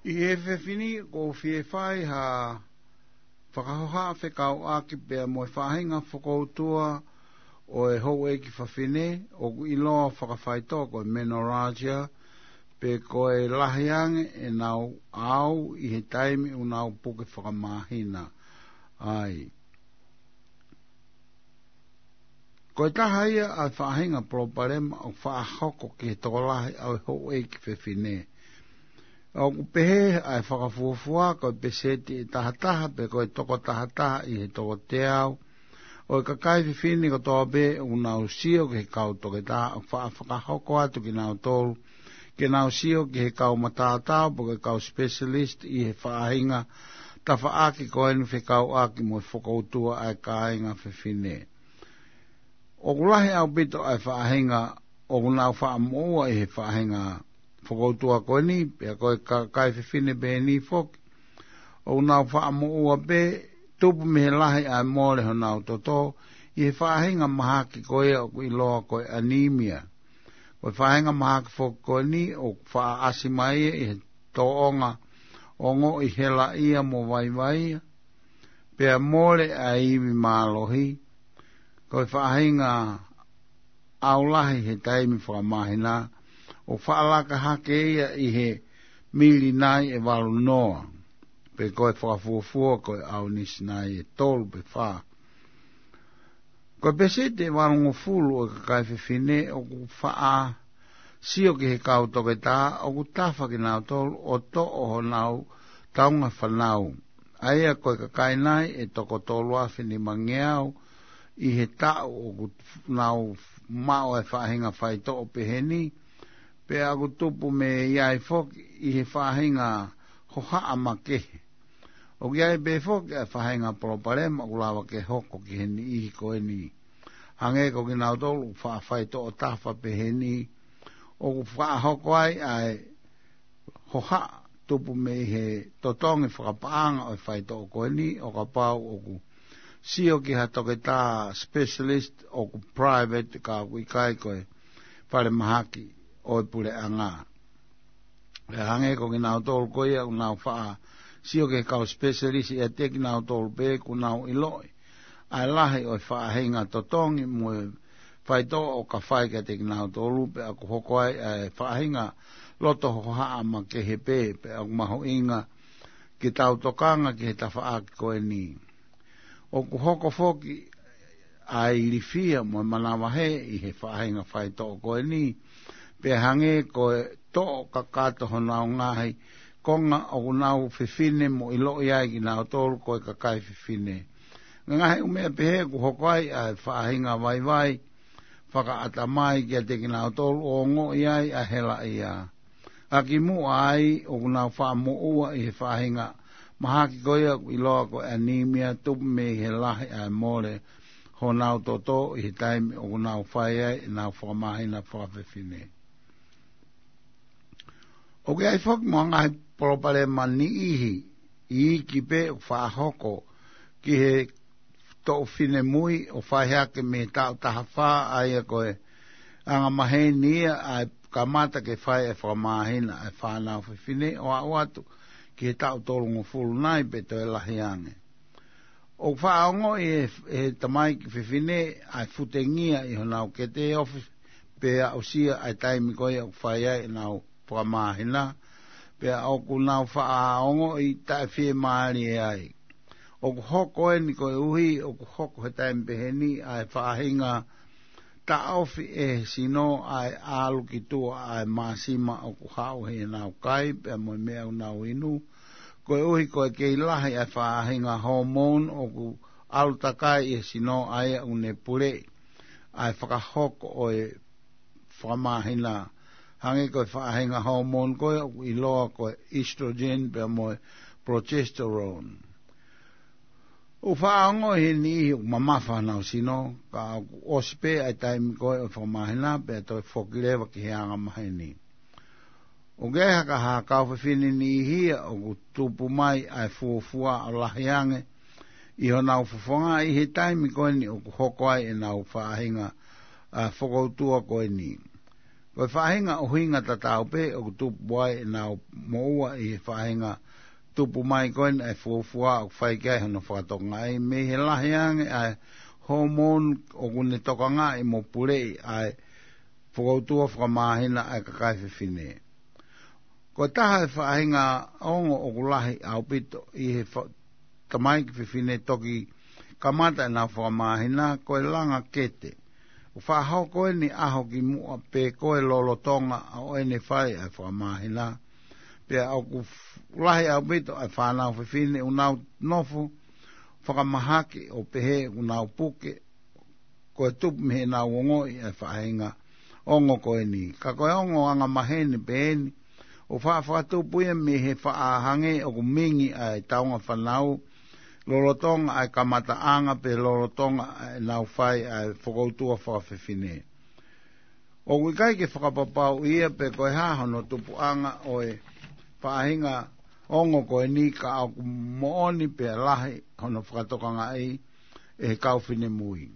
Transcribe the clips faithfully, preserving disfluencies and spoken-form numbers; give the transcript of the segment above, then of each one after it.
ʻI he efiafi ni ʻoku ou fie fai ha fakahohaʻa fekauʻaki pea mo e faʻahinga fokoutua ʻo e houʻeiki fafine ʻoku ʻiloa fakafaitoʻo ko e menorrhagia, pe ko e lahi ange ʻenau ʻaʻau ʻi he taimi ʻoku nau puke fakamāhina ai. Ko e taha ia ʻa e faʻahinga palopalema ʻoku faʻa hoko ki he tokolahi ʻo e houʻeiki fefine. ʻOku pehē ʻa e fakafuofua ko e peseti ʻe tahataha pe ko e toko tahataha ʻi he toko teau ʻo e kakai fefine kotoa pē ʻoku nau sio ki he kau toketā ʻoku faʻa fakahoko atu kinautolu ke nau sio ki he kau matātau pe ko e kau specialist ʻi he faʻahinga tafaʻaki ko eni fekauʻaki mo e fokoutua ʻa e kāinga fefine. ʻOku lahi ʻaupito ʻa e faʻahinga ʻoku nau faʻa moʻua ʻi he faʻahinga fokoutua ko eni, pea ko e kakai fefine pē eni foki ʻoku nau faʻa moʻua pē, tupu mei he lahi ʻa e mole honau toto ʻi he faʻahinga mahaki ko ia ʻoku ʻiloa ko e anemia. Ko e faʻahinga mahaki foki ko eni ʻoku faʻa ʻasi mai ia ʻi he tōʻonga ongoʻi helaʻia mo vaivaia, pea mole ʻa e ivi mālohi. Ko e faʻahinga ʻaulahi he taimi fakamāhina ʻoku faʻa laka hake ia ʻi he mili nai ʻe valu noa, pe ko e fakafuofua ko e ʻaunisi nai ʻe tolu pe fā. Ko e peseti ʻe valungofulu ʻo e kakai fefine ʻoku faʻa sio ki he kau toketā ʻoku tafa kinautolu ʻo toʻo honau taunga fānau, ʻa ia ko e kakai nai ʻe toko tolu afe nimangeau ʻi he taʻu ʻoku nau maʻu e faʻahinga faitoʻo pehē ni, pea ʻoku tupu mei ai foki ʻi he faʻahinga hohaʻa makehe. ʻOku ʻi ai pē foki ʻa e faʻahinga palopalema ʻoku lava ke hoko ki he niʻihi ko eni, hangē ko kinautolu ʻoku faʻa faitoʻo tafa pehē ni, ʻoku faʻa hoko ai ʻa e hohaʻa tupu mei he totongi fakapaʻanga ʻo e faitoʻo ko eni ʻo kapau ʻoku sio ki ha toketā specialist ʻoku private ka ʻoku ʻikai ko e falemahaki ʻo e puleʻanga. ʻE hangē ko kinautolu ko ia ʻoku nau faʻa sio ki he kau specialist ʻiate kinautolu pē ʻoku nau ʻiloʻi ʻa e lahi ʻo e faʻahinga totongi mo e faitoʻo ʻoku fai kiate kinautolu pea ʻoku hoko ai ʻa e faʻahinga loto hohaʻa makehe pē, pea ʻoku mahuʻinga ke tau tokanga ki he tafaʻaki ko eni. ʻOku hoko foki ʻa e ilifia mo e manavahē ʻi he faʻahinga faitoʻo ko eni, pea hangē ko e toʻo kakato honau ngaahi konga ʻoku nau fefine mo ʻiloʻi ai kinautolu ko e kakai fefine. Ngaahi ʻū meʻa pehē ʻoku hoko ai ʻa e faʻahinga vaivai fakaʻatamai kiate kinautolu ʻo ongoʻi ai ʻa e helaʻia. ʻA kimuʻa ai ʻoku nau faʻa moʻua ʻi he faʻahinga mahaki ko ia ʻoku ʻiloa ko e anemia tupu mei he lahi ʻa e mole honau toto ʻi he taimi ʻoku nau fai ai ʻenau fakamāhina fakafefine. ʻOku ʻi ai foki mo e ngaahi palopalema niʻihi iiki pē ʻoku faʻa hoko ki he toʻu finemui ʻo fai hake mei he taʻu taha fā, ʻa ia ko e angamaheni ia ʻa e kamata ke fai e fakamāhina ʻa e fānau fefine ʻo aʻu atu ki he taʻu tolungofulu nai pe toe lahi ange. ʻOku faʻa ongoʻi ʻe he tamaiki fefine ʻa e futengia ʻi honau kete ofi pea aʻusia ʻa e taimi ko ia ʻoku fai ai ʻenau fakamāhina, pea ʻoku nau faʻa ongoʻi taʻefiemālie ai. ʻOku hoko eni koeʻuhi ʻoku hoko he taimi pehē ni ʻa e faʻahinga taʻofi ʻe he sino ʻa e ʻalu ki tuʻa ʻa e māsima ʻoku haʻu heʻenau kai pea mo e meʻa ʻoku nau inu, koeʻuhi ko e kei lahi ʻa e faʻahinga hormone ʻoku ʻalu takai ʻi he sino ʻa ia ʻoku ne puleʻi ʻa e fakahoko ʻo e fakamāhina, hangē ko e faʻahinga hormone ko ia ʻoku ʻiloa ko e estrogen pea mo e progesterone. ʻOku faʻa ongoʻi he niʻihi ʻoku mamafa honau sino, ka ʻoku ʻosi pē ʻa e taimi ko ia ʻo e fakamāhina pea toe foki leva ki he angamaheni. ʻOku ʻi ai ha kau fefine niʻihi ia ʻoku tupu mai ʻa e fuofua ʻo lahi ange ʻi honau fofonga ʻi he taimi ko eni ʻoku hoko ai ʻenau faʻahinga ʻa e fokoutua ko eni. Ko e faʻahinga ʻuhinga tatau pē ʻoku tupu ai ʻenau moʻua ʻi he faʻahinga tupu mai ko eni ʻa e fuofua ʻoku fai ki ai hono fakatokangaʻi, mei he lahi ange ʻa e hormone ʻoku ne tokangaʻi mo puleʻi ʻa e fokoutua fakamāhina ʻa e kakai fefine. Ko e taha e faʻahinga ongo ʻoku lahi ʻaupito ʻi he fa-, tamaiki fefine toki kamata ʻenau fakamāhina ko e langa kete. ʻOku faʻa hoko eni ʻaho ki muʻa pe ko e lolotonga ʻo ʻene fai ʻa e fakamāhina. Pea ʻoku f-, lahi ʻaupito ʻa e fānau fefine ʻoku nau nofo fakamahaki ʻo pehē ʻoku nau puke, ko e tupu mei heʻenau ongoʻi ʻa e faʻahinga ongo ko eni. Ka ko e ongo angamaheni pē eni, ʻoku faʻa fakatupu ia mei he faʻa hangē ʻoku mingi ʻa e taunga fānau, lolotonga ʻa e kamataʻanga pe lolotonga ʻa ʻenau fai ʻa e fokoutua fakafefine. ʻOku ʻikai ke fakapapauʻi ia pe ko e hā hono tupuʻanga ʻo e faʻahinga ongo ko eni, ka ʻoku moʻoni pea lahi hono fakatokangaʻi ʻe he kau finemui.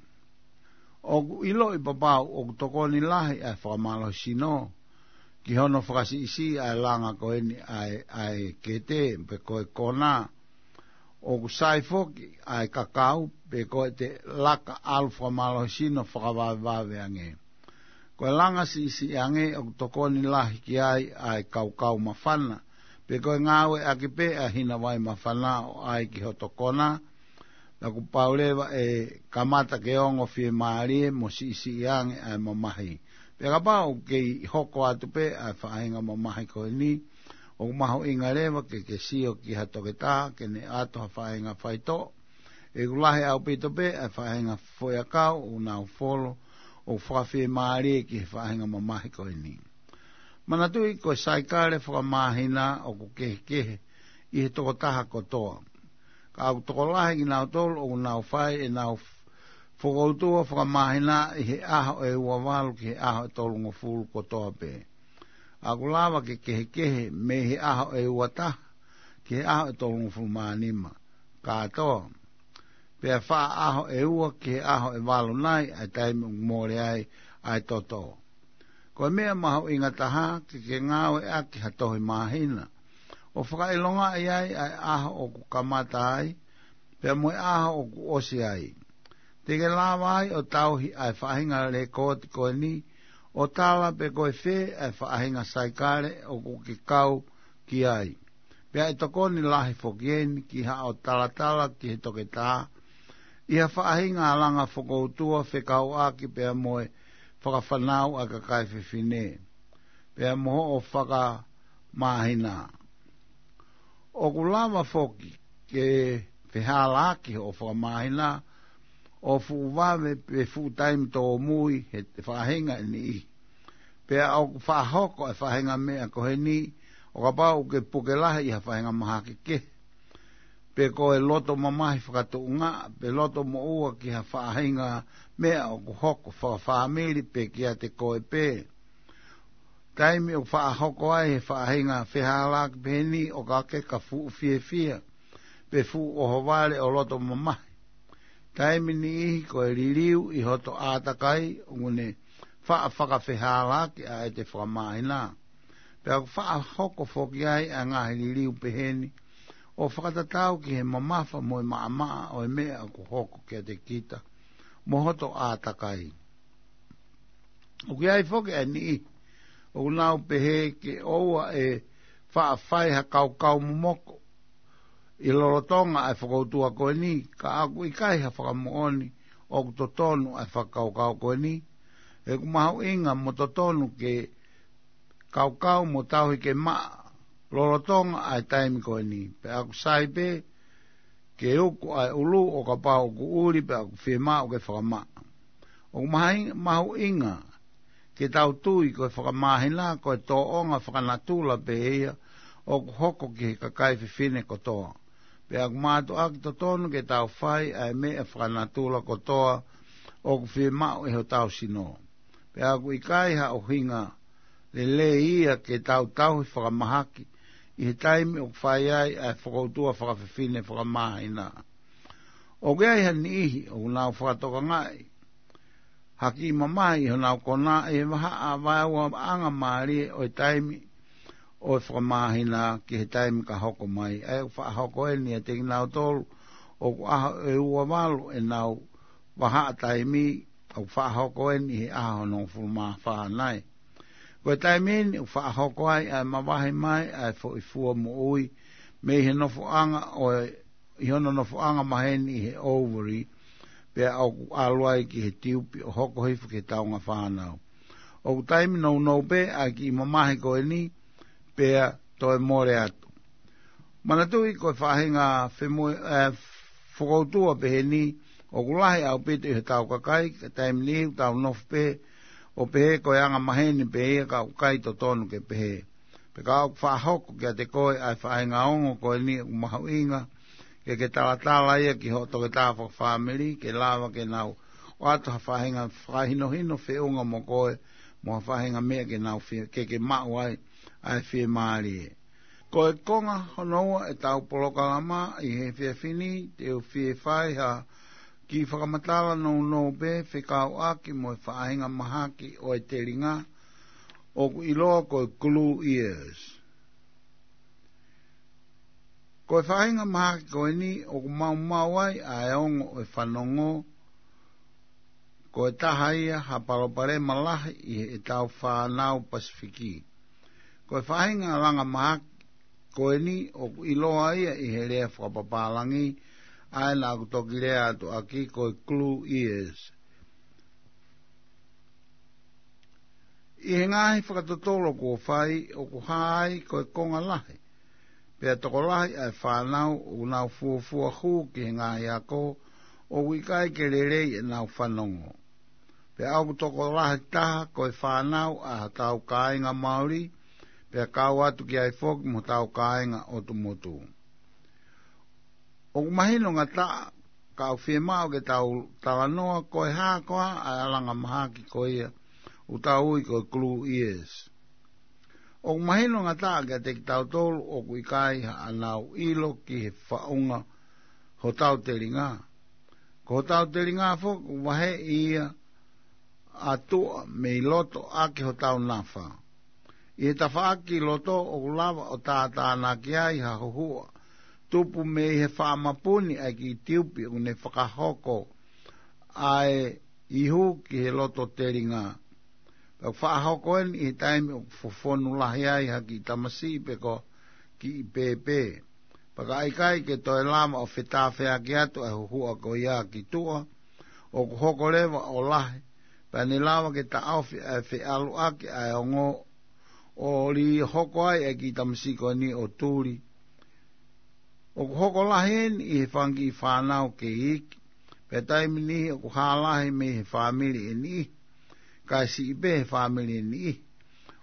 ʻOku ʻiloʻi papau ʻoku tokoni lahi ʻa e fakamālohisino ki hono fakasiʻisiʻi ʻa e langa ko eni ʻa e, ʻa e kete pe ko e kona. ʻOku sai foki ʻa e kakau pe ko e te laka ʻalu fakamālohisino fakavavevave ange. Ko e langa siʻisiʻi ange ʻoku tokoni lahi ki ai ʻa e kaukau māfana, pe ko e ngāueʻaki pē ʻa e hina vai māfana ʻo ʻai ki hoto kona, naʻa kuo pau leva ʻe kamata ke ongo fiemālie mo siʻisiʻi ange ʻa e mamahi. Pea kapau ʻoku kei hoko atu pē ʻa e faʻahinga mamahi ko eni, ʻoku mahuʻinga leva ke ke sio ki ha toketā ke ne ʻoatu ha faʻahinga faitoʻo. ʻOku lahi ʻaupito pē ʻa e faʻahinga foʻiakau ʻoku nau folo ʻoku fakafiemālie ki he faʻahinga mamahi ko eni. Manatuʻi ko e saikale fakamāhina ʻoku kehekehe ʻi he tokotaha kotoa. Ka ʻoku tokolahi kinautolu ʻoku nau fai ʻenau f-, fokoutua fakamāhina ʻi he ʻaho ʻe ua valu ki he ʻaho ʻe tolungofulu kotoa pē. ʻOku lava ke kehekehe mei he ʻaho ʻe ua taha ki he ʻaho ʻe tolungofulu mā nima kātoa. Pea faʻa ʻaho ʻe ua ki he ʻaho ʻe valu nai ʻa e taimi ʻoku mole ai ʻa e toto. Ko e meʻa mahuʻinga taha ke ke ngāueʻaki ha tohi māhina ʻo fakaʻilongaʻi ai ʻa e ʻaho ʻoku kamata ai pea mo e ʻaho ʻoku ʻosi ai. Te ke lava ai ʻo tauhi ʻa e faʻahinga lekooti ko eni ʻo tala pe ko e fē ʻa e faʻahinga saikale ʻoku ke kau ki ai. Pea ʻe tokoni lahi foki eni ki haʻo talatala ki he toketā ʻi ha faʻahinga langa fokoutua fekauʻaki pea mo e fakafānau ʻa e kakai fefine pea mo hoʻo fakamāhina. ʻOku lava foki ke fehālaaki hoʻo fakamāhina ʻo fuʻu vave pe fuʻu taimi tōmui he faʻahinga ʻe niʻihi. Pea ʻoku faʻa hoko e faʻahinga meʻa ko eni ʻo kapau ʻoku ke puke lahi ʻi ha faʻahinga mahaki kehe, pe ko e loto mamahi fakatuʻunga, pe loto moʻua ki ha faʻahinga meʻa ʻoku hoko fakafāmili pe kiate koe pē. Taimi ʻoku faʻa hoko ai he faʻahinga fehālaaki pehē ni ʻoku ʻikai ke ke fuʻu fiefia pe fuʻu ʻohovale ʻo loto mamahi. Taimi niʻihi ko e liliu ʻi hoto ʻātakai ʻoku ne faʻa fakafehālaaki ʻa ʻete fakamāhina. Pea ʻoku faʻa hoko foki ai ʻa e ngaahi liliu pehē ni ʻo fakatatau ki he mamafa mo e maʻamaʻa ʻo e meʻa ʻoku hoko kiate kita mo hoto ʻātakai. ʻOku ʻi ai foki ʻa e niʻihi ʻoku nau pehē ke ʻoua ʻe faʻa fai ha kaukau momoko ʻi lolotonga ʻa e fokoutua ko eni, ka ʻoku ʻikai ha fakamoʻoni ʻoku totonu ʻa e fakakaukau ko eni. ʻOku mahuʻinga mo totonu ke kaukau mo tauhi ke maʻa lolotonga ʻa e taimi ko eni. Pea ʻoku sai pē ke uku ʻa e ʻulu ʻo kapau ʻoku ʻuli pea ʻoku fiemaʻu ke fakamaʻa. ʻOku mahi-, mahuʻinga ke tau tui ko e fakamāhina ko e tōʻonga fakanatula pē ia ʻoku hoko ki he kakai fefine kotoa. Pea ʻoku mātuʻaki totonu ke tau fai ʻa e meʻa fakanatula kotoa ʻoku fiemaʻu ʻe hotau sino. Pea ʻoku ʻikai ha ʻuhinga lelei ia ke tau tauhi fakamahaki ʻi he taimi ʻoku fai ai ʻa e fokoutua fakafefine fakamāhina. ʻOku ʻi ai ha niʻihi ʻoku nau fakatokangaʻi ha kiʻi mamahi ʻi honau kona ʻi he vahaʻa vaeuaʻanga mālie ʻo e taimi ʻo e fakamāhina ki he taimi ka hoko mai. ʻA ia ʻoku faʻa hoko eni ʻiate kinautolu ʻoku ʻaho ʻe ua valu ʻenau vahaʻa taimi, ʻoku faʻa hoko eni ʻi he ʻaho hongofulu mā fā nai. Ko e taimi eni ʻoku faʻa hoko ai ʻa e mavahe mai ʻa e foʻi fua moʻui mei he nofoʻanga ʻo e, ʻi hono nofoʻanga maheni ʻi he ovary, pea ʻoku ʻalu ai ki he tiupi ʻo hoko hifo ki he taunga fānau. ʻOku taimi nounou pē ʻa e kiʻi mamahi ko eni, pea toe mole atu. Manatuʻi ko e faʻahinga femu-, ē, fokoutua peheni, ʻoku lahi ʻaupito ʻi hotau kakai, ka taimi ni ʻoku tau nofo pē ʻo pehē ko e anga maheni pē ia ka ʻoku ʻikai totonu ke pehē. Pea ka ʻoku faʻa hoko kiate koe ʻa e faʻahinga ongo ko eni ʻoku mahuʻinga ke ke talatala ia ki hoʻo toketā fakafāmili, ke lava ke nau ʻoatu ha faʻahinga fakahinohino feʻunga mo koe, mo ha faʻahinga meʻa ke nau fie, ke ke maʻu ai ʻa e fiemālie. Ko e konga hono ua ʻetau polokalama ʻi he efiafi ni, te u fie fai ha kiʻi fakamatala nounou pē fekauʻaki mo e faʻahinga mahaki ʻo e telinga ʻoku ʻiloa ko e glue ears. Ko e faʻahinga mahaki ko eni ʻoku maumau ai ʻa e ongo ʻo e fanongo, ko e taha ia ha palopalema lahi ʻi heʻetau fānau Pasifiki. Ko e faʻahinga langa mahaki ko eni ʻoku ʻiloa ia ʻi he lea fakapapālangi, ʻa ia naʻa ku toki lea atu ʻaki ko e glue ears. ʻI he ngaahi fakatotolo kuo fai, ʻoku hā ai ko e konga lahi, pea tokolahi ʻa e fānau ʻoku nau fuofua hū ki he ngaahi ako ʻoku ʻikai ke lelei ʻenau fanongo. Pea ʻoku tokolahi taha ko e fānau ʻa hotau kāinga Maoli, pea kau atu ki ai foki mo hotau kāinga ʻotu motu. ʻOku mahino ngataʻa, ka ʻoku fiemaʻu ke tau talanoa ko e hā koā ʻa e langa mahaki ko ia ʻoku tau ui ko e glue ears. ʻOku mahino ngataʻa kiate kitautolu ʻoku ʻikai haʻanau ʻilo ki he faʻunga hotau telinga. Ko hotau telinga foki ʻoku vaheʻi ia ʻa tuʻa mei loto ʻaki hotau nafa. ʻI he tafaʻaki loto ʻoku lava ʻo tātānaki ai ha huhuʻa tupu mei he faʻa mapuni ʻa e kiʻi tiupi ʻoku ne fakahoko ʻa e ihu ki he loto telinga. Pea ʻoku faʻa hoko eni ʻi he taimi ʻoku fofonu lahi ai ha kiʻi tamasiʻi pe ko ha kiʻi pēpē. Pea ka ʻikai ke toe lava ʻo fetāfeaki atu ʻa e huhuʻa ko ia ki tuʻa, ʻoku hoko leva ʻo lahi, pea ne lava ke taʻofi ʻa e feʻaluʻaki ʻa e ongo ʻo lī hoko ai ʻa e kiʻi tamasiʻi ko eni ʻo tuli. ʻOku hoko lahi eni ʻi he fanga kiʻi fānau kei iiki, pea taimi niʻihi ʻoku hā lahi mei he fāmili ʻe niʻihi, kae siʻi pē he fāmili ʻe niʻihi.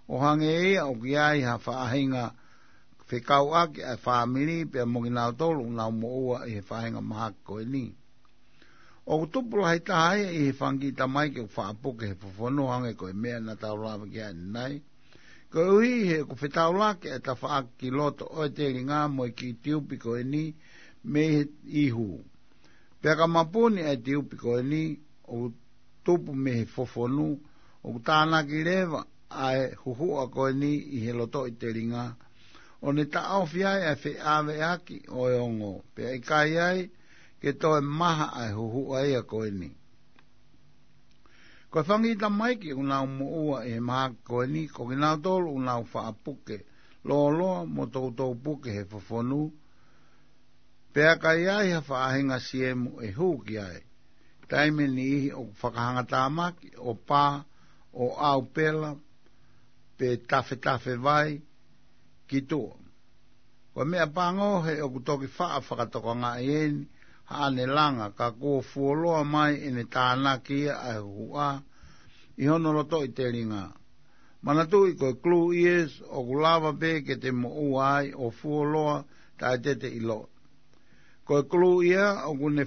ʻO hangē ia ʻoku ʻi ai ha faʻahinga fekauʻaki ʻa e fāmili pea mo kinautolu ʻoku nau moʻua ʻi he faʻahinga mahaki ko eni. ʻOku tupu lahi taha ia ʻi he fanga kiʻi tamaiki ʻoku faʻa puke he fofonu, hangē ko e meʻa naʻa tau lave ki ai ʻanenai. Koeʻuhi he ʻoku fetaulaki ʻa e tafaʻaki ki loto ʻo e telinga mo e kiʻi tiupi ko eni mei he ihu. Pea ka mapuni ʻa e tiupi ko eni ʻoku tupu mei he fofonu, ʻoku tānaki leva ʻa e huhuʻa ko eni ʻi he lotoʻi telinga, ʻo ne taʻofi ai ʻa e feʻaveʻaki ʻo e ongo, pea ʻikai ai ke toe maha ʻa e huhuʻa ia ko eni. Ko e fanga kiʻi tamaiki ʻoku nau moʻua ʻi he mahaki ko eni, ko kinautolu ʻoku nau faʻa puke lōloa mo toutou puke he fofonu, pea ka ʻi ai ha faʻahinga siemu ʻe hū ki ai. Taimi ʻe niʻihi ʻoku fakahangatāmaki ʻo pā, ʻo ʻaupela, pe tafetafe vai ki tuʻa. Ko e meʻapango he ʻoku toki faʻa fakatokangaʻi eni haʻane langa, ka kuo fuoloa mai ʻene tānaki ia ʻa e huhuʻa ʻi hono lotoʻi telinga. Manatuʻi ko e glue ears ʻoku lava pē ke te moʻua ai ʻo fuoloa taʻe te te ʻilo. Ko e glue ear ʻoku ne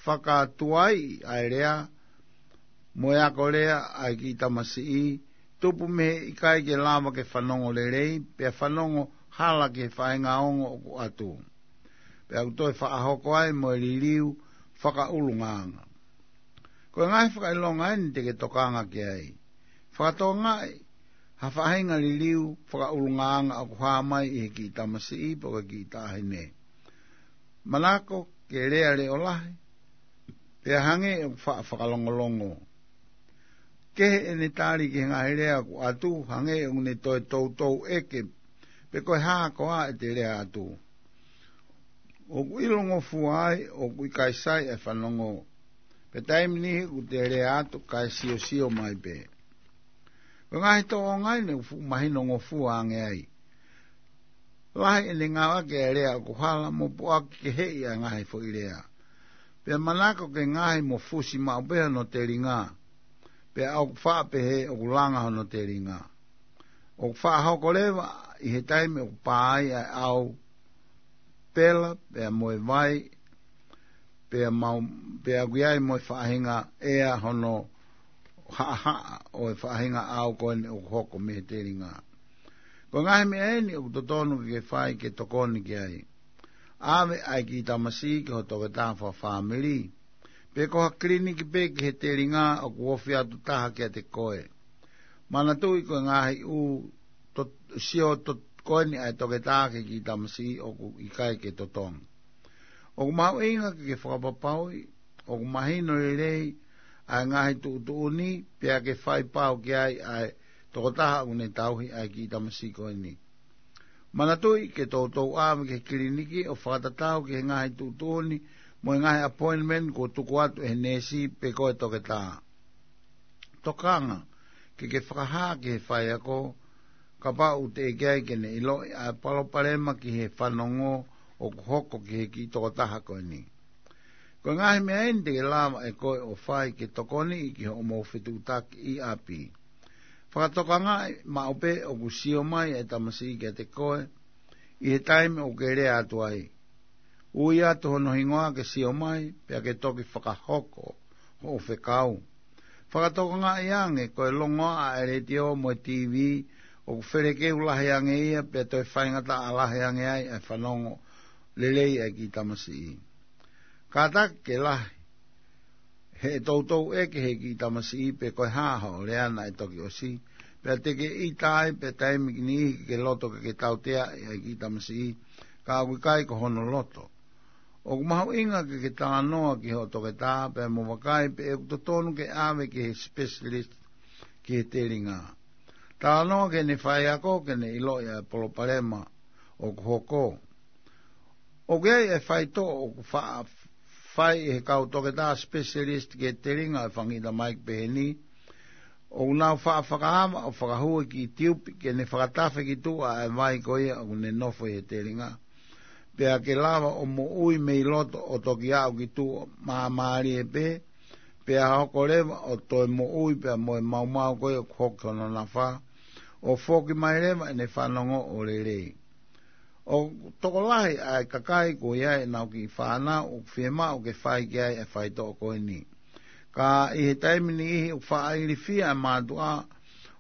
fakatuai ʻa e lea mo e ako lea ʻa e kiʻi tamasiʻi, tupu mei he ʻikai ke lava ke fanongo lelei, pea fanongo hala ki he faʻahinga ongo ʻoku ʻatu. Pea ʻoku toe faʻa hoko ai mo e liliu fakaʻulungaanga. Ko e ngaahi fakaʻilonga eni te ke tokanga ki ai. Fakatokangaʻi ha faʻahinga liliu fakaʻulungaanga ʻoku hā mai ʻi he kiʻi tamasiʻi pe ko e kiʻi taʻahine. Manako ke lea leʻo lahi, pea hangē ʻoku faʻa fakalongolongo. Kehe ʻene tali ki he ngaahi lea ʻoku ʻatu, hangē ʻoku ne toe toutou ʻeke pe ko e hā koā ʻete lea atu. ʻOku ʻilongofua ai ʻoku ʻikai sai e fanongo, pea taimi niʻihi ʻoku te lea atu kae siosio mai pē. Ko e ngaahi tōʻonga eni ʻoku fuʻu mahinongofua ange ai. Lahi ʻene ngāueʻaki e lea ʻoku hala mo puʻaki keheʻi ʻa e ngaahi foʻi lea. Pea manako ke ngaahi mo fusi maʻu pē hono telinga. Pea ʻoku faʻa pehē ʻoku langa hono telinga. ʻOku faʻa hoko leva ʻi he taimi ʻoku pā ai ʻa e ʻau pela, pea mo e vai, pea mau, pea ʻoku ʻi ai mo e faʻahinga ʻea hono haʻahaʻa ʻo e faʻahinga ʻau ko eni ʻoku hoko mei he telinga. Ko e ngaahi meʻa eni ʻoku totonu ke ke fai ke tokoni ki ai. ʻAve ʻa e kiʻi tamasiʻi ki ho toketā fakafāmili, pe ko ha kiliniki pē ki he telinga ʻoku ofi atu taha kiate koe. Manatuʻi ko e ngaahi ʻū to-, sio to-, ko eni ʻa e toketā ki he kiʻi tamasiʻi ʻoku ʻikai ke totongi. ʻOku mahuʻinga ke ke fakapapauʻi ʻoku mahino lelei ʻa e ngaahi tuʻutuʻuni, pea ke fai pau ki ai ʻa e tokotaha ʻoku ne tauhi ʻa e kiʻi tamasiʻi ko eni. Manatuʻi ke toutou ʻave ki he kiliniki ʻo fakatatau ki he ngaahi tuʻutuʻuni mo e ngaahi appointment kuo tuku atu ʻe he neesi pe ko e toketā. Tokanga ke ke fakahā ki he faiako, kapau ʻoku teʻeki ai ke ne ʻiloʻi ʻa e palopalema ki he fanongo ʻoku hoko ki he kiʻi tokotaha ko eni. Ko e ngaahi meʻa eni te ke lava ʻe koe ʻo fai ke tokoniʻi ki hoʻomou fetuʻutaki ʻi ʻapi. Fakatokangaʻi maʻu pē ʻoku sio mai e tamasiʻi kiate koe ʻi he taimi ʻoku ke lea atu ai. Ui atu hono hingoa ke sio mai, pea ke toki fakahoko hoʻo fekau. Fakatokangaʻi ange ko e longoaʻa e letiō mo e TV ʻoku felekeu lahi ange ia, pea toe faingataʻa lahi ange ai e fanongo lelei ʻa e kiʻi tamasiʻi. Kātaki ke lahi, he toutou ʻeke ʻe he kiʻi tamasiʻi pe ko e hā hoʻo lea naʻe toki ʻosi, pea te ke ʻita ai, pea taimi niʻihi ke ke loto ke ke tauteaʻi ʻa e kiʻi tamasiʻi, ka ʻoku ʻikai ko hono loto. ʻOku mahuʻinga ke ke talanoa ki hoʻo toketā pea mo vakai pe ʻoku totonu ke ʻave ki he specialist ki he telinga. Talanoa ki heʻene faiako ke ne ʻiloʻi ʻa e palopalema ʻoku hoko. ʻOku ʻi ai e faitoʻo ʻoku faʻa fai ʻe he kau toketā specialist ki he telinga ʻo e fanga kiʻi tamaiki pehē ni. ʻOku nau faʻa fakaava ʻo fakahū e kiʻi tiupi ke ne fakatafe ki tuʻa e vai ko ia ʻoku ne nofo ʻi he telinga. Pea ke lava ʻo moʻui mei loto ʻo toki aʻu ki tuʻa māmālie pē, pea hoko leva ʻo toe moʻui pea mo e maumau ko ia ʻoku hoko ki hono nafa, ʻo foki mai leva ʻene fanongo ʻo lelei. ʻOku tokolahi ʻa e kakai ko ia ʻenau kiʻi fānau ʻoku fiemaʻu ke fai ki ai e faitoʻo ko eni. Ka ʻi he taimi niʻihi ʻoku faʻa ilifia e mātuʻa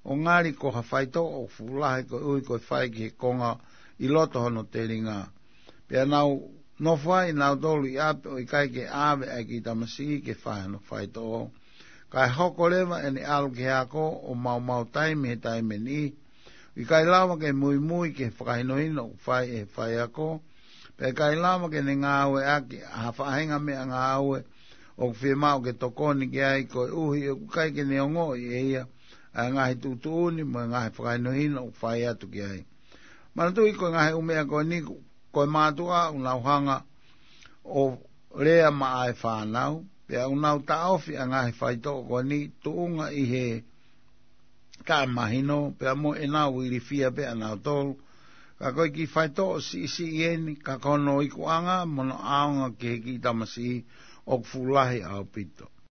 ʻo ngali ko ha faitoʻo ʻoku fuʻu lahi koeʻuhi ko e fai ki he konga ʻi loto hono telinga. Pea nau nofo ai nautolu ʻi ʻapi ʻo ʻikai ke ʻave ʻa e kiʻi tamasiʻi ke fai hano faitoʻo. Kae hoko leva ʻene ʻalu ki he ako ʻo maumau taimi he taimi niʻihi. ʻIkai lava ke muimui ki he fakahinohino ʻoku fai ʻe he faiako. Pea ʻikai lava ke ne ngāueʻaki ha faʻahinga meʻangāue ʻoku fiemaʻu ke tokoni ki ai koeʻuhi ʻoku ʻikai ke ne ongoʻi ʻe ia ʻa e ngaahi tuʻutuʻuni mo e ngaahi fakahinohino ʻoku fai atu ki ai. Manatuʻi ko e ngaahi ʻū meʻa ko eni ko e mātuʻa ʻoku nau hanga ʻo lea maʻa e fānau, pea ʻoku nau taʻofi ʻa e ngaahi faitoʻo ko eni tuʻunga ʻi he taʻemahino, pea mo ʻenau ilifia pē ʻanautolu. Ka ko e kiʻi faitoʻo siʻisiʻi eni, ka ko hono ikuʻanga mo hono ʻaonga ki he kiʻi tamasiʻi ʻoku fuʻu lahi ʻaupito.